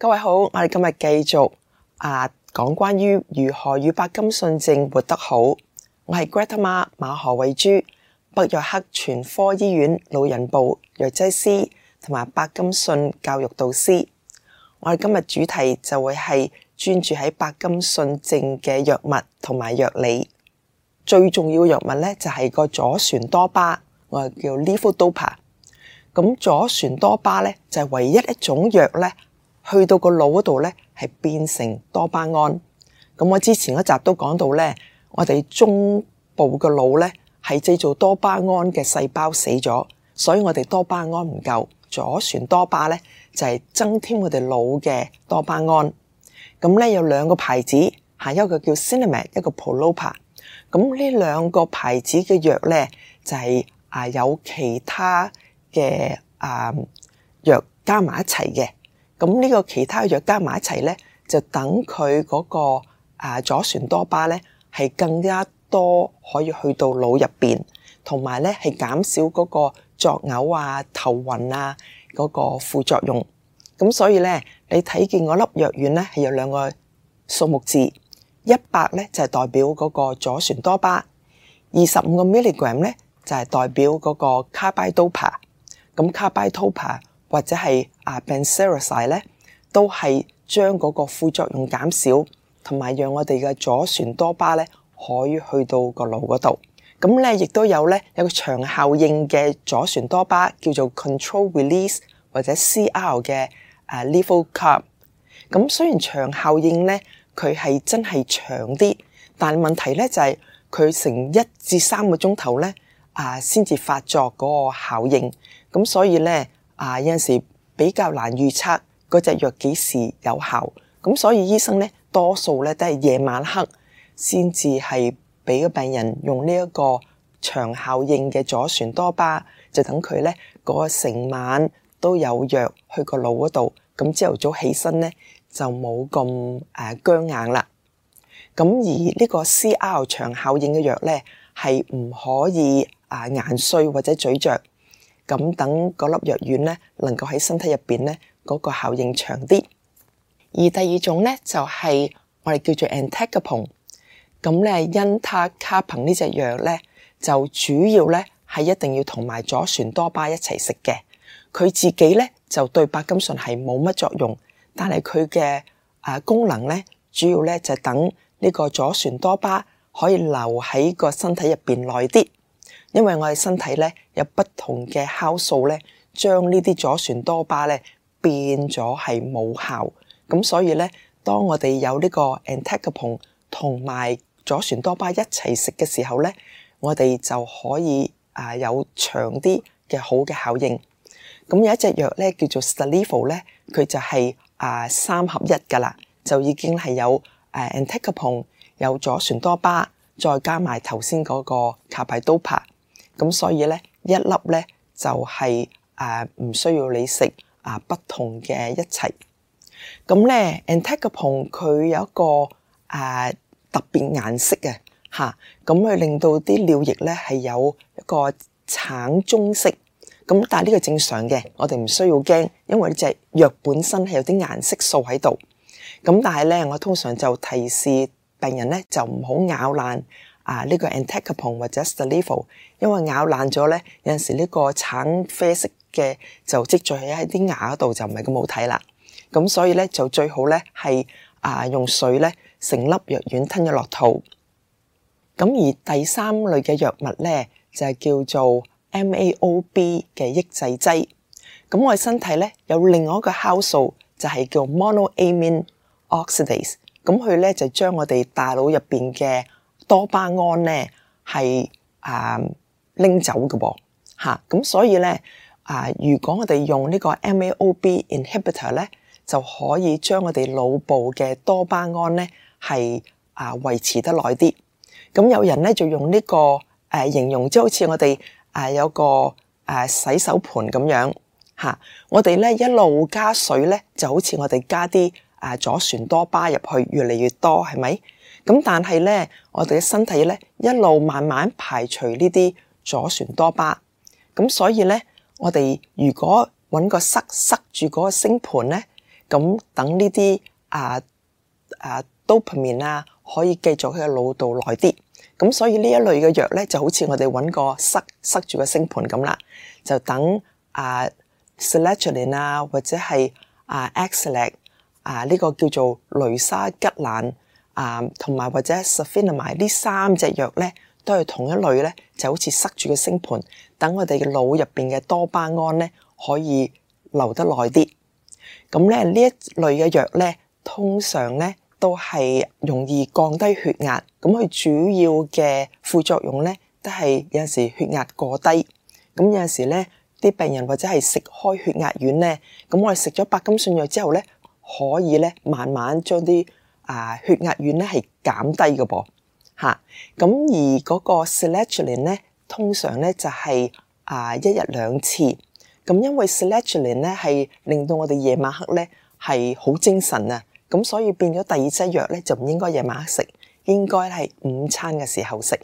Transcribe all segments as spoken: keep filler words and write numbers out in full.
各位好，我哋今日繼續啊講關於如何與柏金遜症活得好。我係 Greta 媽馬何慧珠，北約克全科醫院老人部藥劑師同埋柏金遜教育導師。我哋今日主題就會係專注喺柏金遜症嘅藥物同埋藥理。最重要嘅藥物咧就係個左旋多巴，我哋叫 levodopa。咁左旋多巴咧就係唯一一種藥咧，去到個腦嗰度咧係變成多巴胺。咁我之前嗰集都講到咧，我哋中部嘅腦咧係製造多巴胺嘅細胞死咗，所以我哋多巴胺唔夠。左旋多巴咧就係增添我哋腦嘅多巴胺。咁咧有兩個牌子，下一個叫 Sinemet， 一個 Prolopa。咁呢兩個牌子嘅藥咧就係啊有其他嘅啊藥加埋一齊嘅。咁呢個其他藥加埋一齊咧，就等佢嗰個啊左旋多巴咧係更加多可以去到腦入邊，同埋咧係減少嗰個作嘔啊、頭暈啊嗰個副作用。咁所以咧，你睇見嗰粒藥丸咧係有兩個數目字，一百咧就係代表嗰個左旋多巴，二十五個 milligram 咧就係代表嗰個 carbidopa。咁 carbidopa或者係啊 benseroside 咧，都係將嗰個副作用減少，同埋讓我哋嘅左旋多巴咧可以去到個腦嗰度。咁咧亦都有咧有個長效應嘅左旋多巴，叫做 control release 或者 C R 嘅啊 levocarb。咁雖然長效應咧佢係真係長啲，但係問題咧就係佢成一至三個鐘頭咧啊先至發作嗰個效應。咁所以咧啊有陣時比較難預測嗰隻藥幾時有效，咁所以醫生咧多數咧都係夜晚黑先至係俾個病人用呢一個長效應嘅左旋多巴，就等佢咧嗰個成晚都有藥去個腦嗰度，咁朝頭早起身咧就冇咁誒僵硬啦。咁而呢個 C R 長效應嘅藥咧係唔可以啊研碎或者咀嚼。咁等嗰粒藥丸咧，能夠喺身體入邊咧，嗰個效應長啲。而第二種咧就係我哋叫做 entacapone。咁咧，因他卡彭呢隻藥咧，就主要咧係一定要同埋左旋多巴一齊食嘅。佢自己咧就對柏金遜係冇乜作用，但係佢嘅啊功能咧，主要咧就等呢個左旋多巴可以留喺個身體入邊耐啲。因為我哋身體咧有不同嘅酵素咧，將呢啲左旋多巴咧變咗係冇效，咁所以咧，當我哋有呢個 entacapone 同埋左旋多巴一齊食嘅時候咧，我哋就可以啊有長啲嘅好嘅效應。咁有一隻藥咧叫做 Stalevo 咧，佢就係啊三合一噶啦，就已經係有誒 entacapone 有左旋多巴，再加埋頭先嗰個 carbidopa。咁所以咧，一粒咧就係誒唔需要你食啊不同嘅一齊。咁咧 entacapone 佢有一個誒、啊、特別顏色嘅嚇，咁佢令到啲尿液咧係有一個橙棕色。咁但係呢個正常嘅，我哋唔需要驚，因為呢隻藥本身係有啲顏色素喺度。咁但係咧，我通常就提示病人咧就唔好咬爛啊呢個 entacapone 或者 Stalevo， 因為咬爛咗咧，有陣時呢個橙啡色嘅就積聚喺啲牙度，就唔係咁好睇啦。咁所以咧就最好咧係啊用水咧成粒藥丸吞咗落肚。咁而第三類嘅藥物咧就係叫做 M A O B 嘅抑制劑。咁我哋身體咧有另外一個酵素就係叫 monoamine oxidase。咁佢咧就將我哋大腦入邊嘅多巴胺咧係啊拎走嘅噃嚇。咁所以咧啊，如果我哋用呢個 M A O B inhibitor 咧，就可以將我哋腦部嘅多巴胺咧係啊維持得耐啲。咁有人咧就用呢、這個誒、啊、形容，即係好似我哋啊有個誒、啊、洗手盤咁樣嚇、啊。我哋咧一路加水咧，就好似我哋加啲啊左旋多巴入去，越嚟越多，係咪？咁但係咧，我哋嘅身體咧一路慢慢排除呢啲左旋多巴。咁所以咧，我哋如果揾個塞塞住嗰個星盤咧，咁等呢啲啊啊 dopamine 啊可以繼續喺個腦度耐啲。咁所以呢一類嘅藥咧，就好似我哋揾個塞塞住個星盤咁啦，就等啊 sertraline 啊或者係啊 Exlac 啊呢個叫做雷沙吉蘭啊同埋或者 sulfonamide 呢三隻藥咧，都係同一類咧，就好似塞住個星盤，等我哋嘅腦入邊嘅多巴胺咧可以留得耐啲。咁咧呢一類嘅藥咧，通常咧都係容易降低血壓，咁佢主要嘅副作用咧都係有陣時血壓過低，咁有陣時咧啲病人或者係食開血壓丸咧，咁我哋食咗白金遜藥之後咧，可以咧慢慢將啲啊血壓丸咧係減低嘅噃嚇，咁而嗰個 sertraline 咧通常咧就係啊一日兩次，咁因為 sertraline 咧係令到我哋夜晚黑咧係好精神啊。咁所以變咗第二劑藥咧就唔應該夜晚黑食，應該係午餐嘅時候食。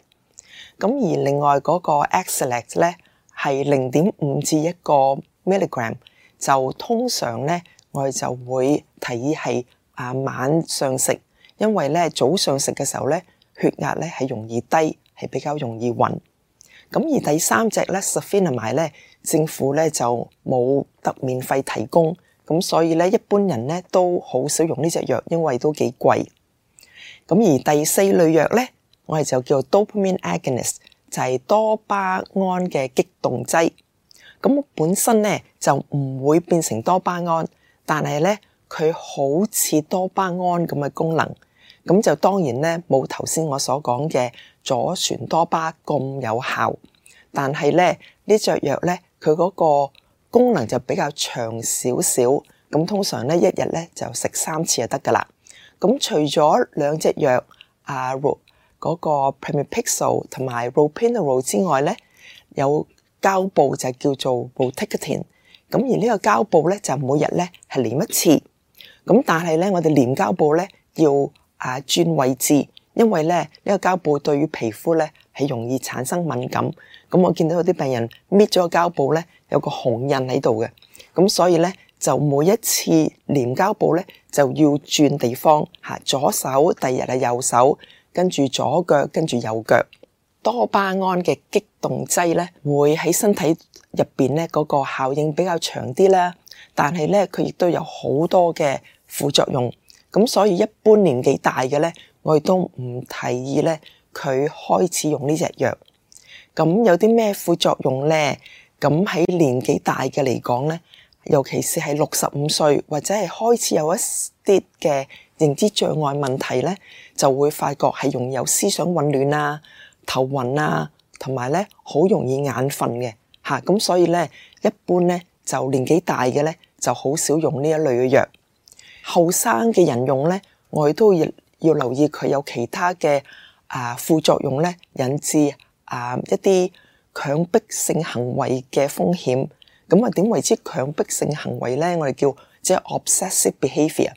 咁而另外嗰個 Exlac 咧係零點五至一個 milligram， 就通常咧我哋就會提議係啊晚上食，因為咧早上食嘅時候咧血壓咧係容易低，係比較容易暈。咁而第三隻咧 sulfonamide 咧政府咧就冇得免費提供。咁所以咧，一般人咧都好少用呢隻藥，因為都幾貴。咁而第四類藥咧，我哋就叫 dopamine agonist，就係多巴胺嘅激動劑。咁本身咧就唔會變成多巴胺，但係咧佢好似多巴胺咁嘅功能。咁就當然咧冇頭先我所講嘅左旋多巴咁有效，但係咧呢隻藥咧佢嗰個功能就比較長少少，咁通常咧一日咧就食三次就得噶啦。咁除咗兩隻藥啊，嗰、那個 pramipexole 同埋 ropinirole 之外咧，有膠布就叫做 rotigotine。咁而呢個膠布咧就每日咧係黏一次。咁但係咧我哋黏膠布咧要啊轉位置，因為咧呢個膠布對於皮膚咧係容易產生敏感。咁我見到有啲病人搣咗個膠布咧，有個紅印喺度嘅，咁所以咧就每一次黏膠布咧就要轉地方嚇，左手第二日係右手，跟住左腳跟住右腳。多巴胺嘅激動劑咧會喺身體入邊咧嗰個效應比較長啲啦，但係咧佢亦都有好多嘅副作用，咁所以一般年紀大嘅咧，我哋都唔提議咧佢開始用呢隻藥。咁有啲咩副作用咧？咁喺年紀大嘅嚟講咧，尤其是係六十五歲或者係開始有一啲嘅認知障礙問題咧，就會發覺係容易有思想混亂啊、頭暈啊，同埋咧好容易眼瞓嘅嚇。咁所以咧，一般咧就年紀大嘅咧就好少用呢一類嘅藥。後生嘅人用咧，我哋都要要留意佢有其他嘅啊副作用咧，引致啊一啲強迫性行為嘅風險。咁啊點為之強迫性行為咧？我哋叫即係 obsessive behaviour。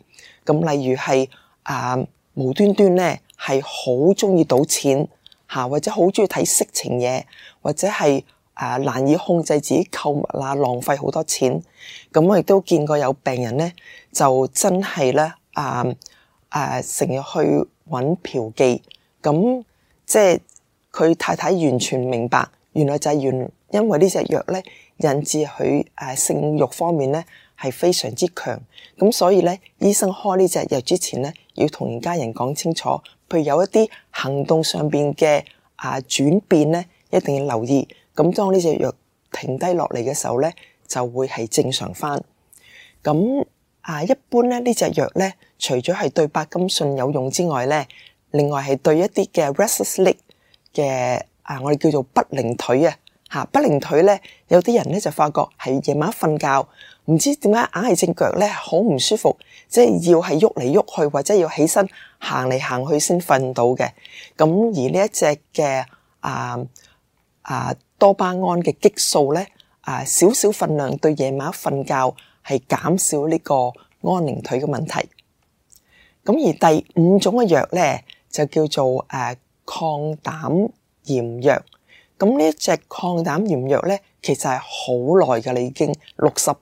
咁例如係啊無端端咧係好中意賭錢嚇，或者好中意睇色情嘢，或者係啊難以控制自己購物啊，浪費好多錢。咁我亦都見過有病人咧就真係咧啊啊成日去揾嫖妓，咁即係佢太太完全明白，原來就係原因為呢隻藥咧引致佢誒性慾方面咧係非常之強，咁所以咧醫生開呢隻藥之前咧要同家人講清楚，譬如有一啲行動上邊嘅啊轉變咧，一定要留意。咁當呢隻藥停低落嚟嘅時候咧，就會係正常翻。咁啊一般咧呢隻藥咧，除咗係對白金遜有用之外咧，另外係對一啲嘅 restless leg 嘅啊，我哋叫做不靈腿啊嚇，不靈腿咧，有啲人咧就發覺係夜晚瞓覺，唔知點解硬係隻腳咧好唔舒服，即係要係喐嚟喐去或者要起身行嚟行去先瞓到嘅。咁而呢一隻嘅啊啊多巴胺嘅激素咧啊，少少份量對夜晚瞓覺係減少呢個安寧腿嘅問題。咁而第五種嘅藥咧就叫做誒抗膽炎藥。咁呢一隻抗膽炎藥咧，其實係好耐㗎啦，已經六十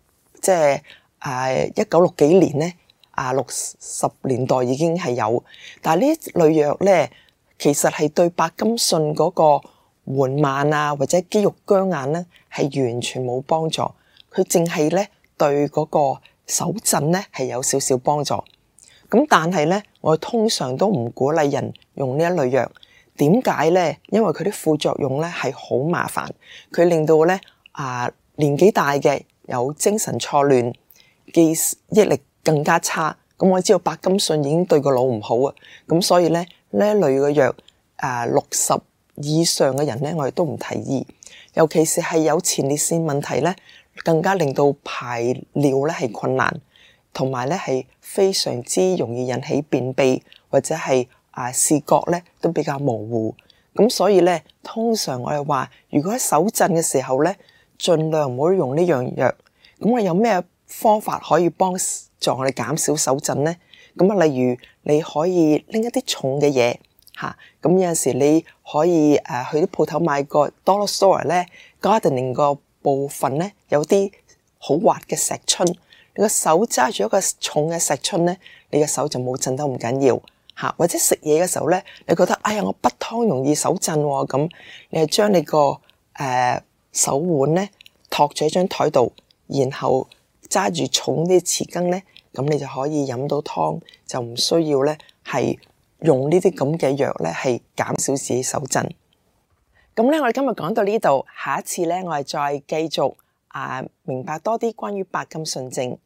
即係誒一九六幾年咧啊六十年代已經係有，但係呢類藥咧，其實係對白金遜嗰個緩慢啊或者肌肉僵硬咧係完全冇幫助，佢淨係咧對嗰個手震咧係有少少幫助。咁但係咧，我通常都唔鼓勵人用呢一類藥。點解咧？因為佢啲副作用咧係好麻煩，佢令到咧啊年紀大嘅有精神錯亂，記憶力更加差。咁我知道白金遜已經對個腦唔好啊，咁所以咧呢一類嘅藥啊六十以上嘅人咧，我哋都唔提議。尤其是係有前列腺問題咧，更加令到排尿咧係困難，同埋咧係非常之容易引起便秘或者係啊視覺咧都比較模糊。咁所以咧，通常我哋話，如果喺手震嘅時候咧，盡量唔好用呢樣藥。咁我有咩方法可以幫助我哋減少手震咧？咁啊，例如你可以拎一啲重嘅嘢嚇，咁有陣時你可以誒去啲鋪頭買個 dollar store 咧 gardening 個部分咧有啲好滑嘅石春，你個手揸住一個重嘅石春咧，你嘅手就冇震得咁緊要嚇。或者食嘢嘅時候咧，你覺得哎呀我滗湯容易手震喎，咁你係將你個誒、呃、手腕咧托住喺張台度，然後揸住重啲匙羹咧，咁你就可以飲到湯，就唔需要咧係用呢啲咁嘅藥咧係減少自己手震。咁咧我哋今日講到呢度，下一次咧我哋再繼續啊明白多啲關於白金遜症。